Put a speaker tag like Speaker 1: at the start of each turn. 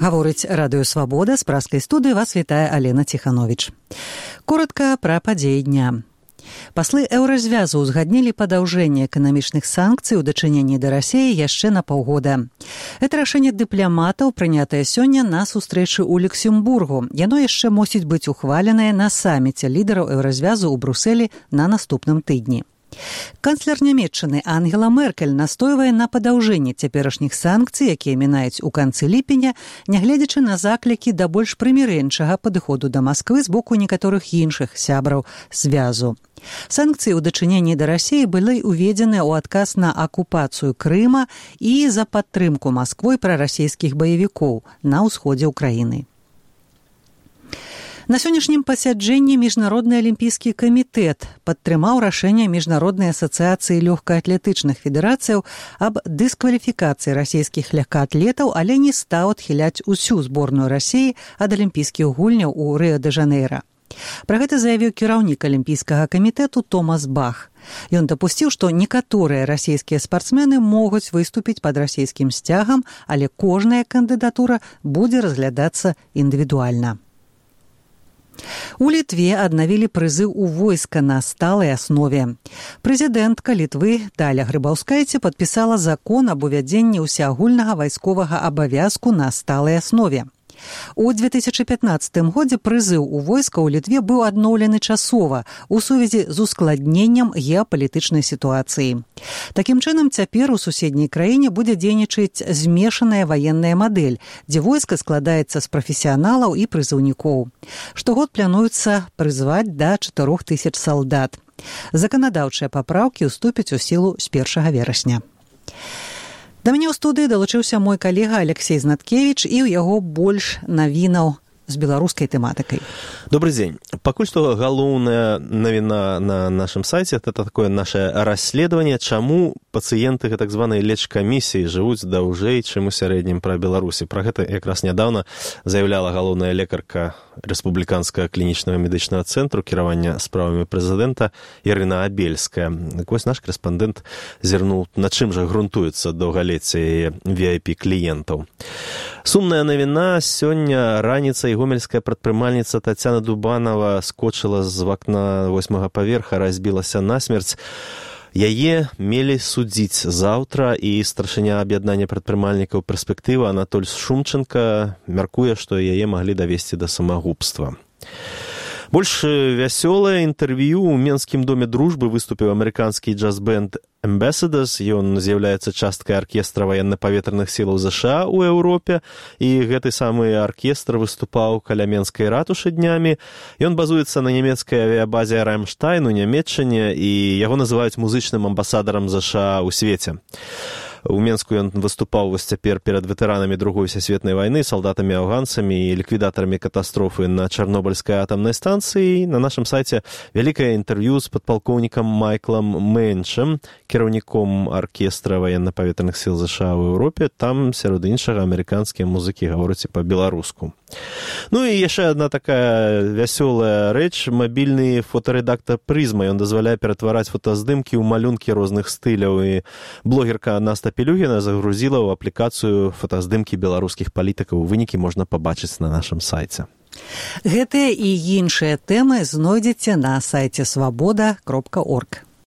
Speaker 1: Гаворыць Радыё Свабода, з праскай студыі вас вітае Алена Ціхановіч. Коротка пра падзеі дня. Паслы Еўразвязу узгаднілі падаўжэнне эканамічных санкцый у дачыненні да Расіі яшчэ на паўгода. Гэта рашэнне дыпламатаў, прынятае сёння на сустрэчы ў Люксембургу. Яно яшчэ мусіць быць ухваленае на саміце лідараў Еўразвязу ў Брусэлі на наступным тыдні. Канцлер Нямецчыны Ангела Меркель настойвае на падаўжэнні цяперашніх санкцый, якія мінаюць у канцы ліпеня, нягледзячы на заклікі да больш прымірэнчага падыходу да Масквы з боку некаторых іншых сябраў звязу. Санкцыі ў дачыненні да Расіі былі уведзеныя ў адказ на акупацыю Крыма і за падтрымку Масквой прарасійскіх баевікоў на ўсходзе ўкраіны. На сённяшнім пасяджэнні Міжнародны алімпійскі камітэт падтрымаў рашэнне Міжнароднай асацыяцыі лёгкаатлетычных федэрацыяў аб дыскваліфікацыі расійскіх легкаатлетаў, але не стаў адхіляць усю зборную Расіі ад алімпійскіх гульняў у Рыа-дэ-Жанэйра. Пра гэта заявіў кіраўнік алімпійскага камітэту Томас Бах. Ён дапусціў, што некаторыя расійскія спартсмены могуць выступіць пад расійскім сцягам, але кожная кандыдатура будзе разглядацца індывідуальна. У Літве аднавілі прызыў у войска на сталай аснове. Прэзідэнтка Літвы Даля Грыбаўскайце падпісала закон аб увядзенні ўсеагульнага вайсковага абавязку на сталай аснове. У 2015 годзе прызыў у войска ў Літве быў адноўлены часова у сувязі з ускладненнем геапалітычнай сітуацыі. Такім чынам, цяпер у суседняй краіне будзе дзейнічаць змешаная ваенная мадэль, дзе войска складаецца з прафесіяналаў і прызыўнікоў. Штогод плануецца прызваць да 4000 салдат. Заканадаўчыя папраўкі ўступяць у сілу з 1 верасня. Да мяне ў студыі далучыўся мой калега Алексей Знаткевіч, і ў яго больш навінаў з беларускай тэматыкай.
Speaker 2: Добрый день. Пакуль што галоўная навіна на нашым сайце — это такое наше расследаванне, чаму пацыенты так званай лечкамісіі жывуць даўжэй, чым у сярэднім пра Беларусі. Пра гэта якраз нядаўна заяўляла галоўная лекарка Рэспубліканскага клінічнага медычнага цэнтру кіравання справамі прэзідэнта Ірына Абельская. Так вось наш корэспандэнт зірнуў, на чым жа грунтуецца доўгалецце яе VIP-кліентаў. Сумная навіна. Сёння раніцай гомельская прадпрымальніца Тацяна Дубанова скочыла з вакна 8-го паверха, разбілася насмерць. Яе мелі судзіць заўтра, і старшыня аб'яднання прадпрымальнікаў «Перспектыва» Анатоль Шумченко мяркуе, што яе маглі давесці да самагубства. Больш вясёлае інтэрв'ю ў Менскім доме дружбы выступіў амерыканскі джаз-бэнд Ambassadors. Ён з'яўляецца часткай аркестра ваенна-паветраных сілаў ЗША ў Еўропе, і гэты самы аркестр выступаў каля Менскай ратушы днямі. Ён базуецца на нямецкай авіябазе Рамштайн у Нямецчыне, і яго называюць музычным амбасадарам ЗША ў свеце. У Менску ён выступаў вось цяпер перад ветэранамі Другой сусветнай вайны, салдатамі-афганцамі і ліквідатарамі катастрофы на Чарнобыльскай атамнай станцыі. На нашым сайце вялікае інтэрв'ю з падпалкоўнікам Майклам Мэнчам, кіраўніком аркестра ваенна-паветраных сіл ЗША ў Еўропе. Там, сярод іншага, амерыканскія музыкі гавораць па-беларуску. Ну і яшчэ адна такая вясёлая рэч. Мабільны фотарэдактар «Прызма». Ён дазваляе ператвараць фотаздымкі ў малюнкі розных стыляў, і блогерка Наста Пелюгіна загрузіла ў аплікацыю фотаздымкі беларускіх палітыкаў. Вынікі можна пабачыць на нашым сайце.
Speaker 1: Гэтыя і іншыя тэмы знойдзеце на сайце свабода.орг.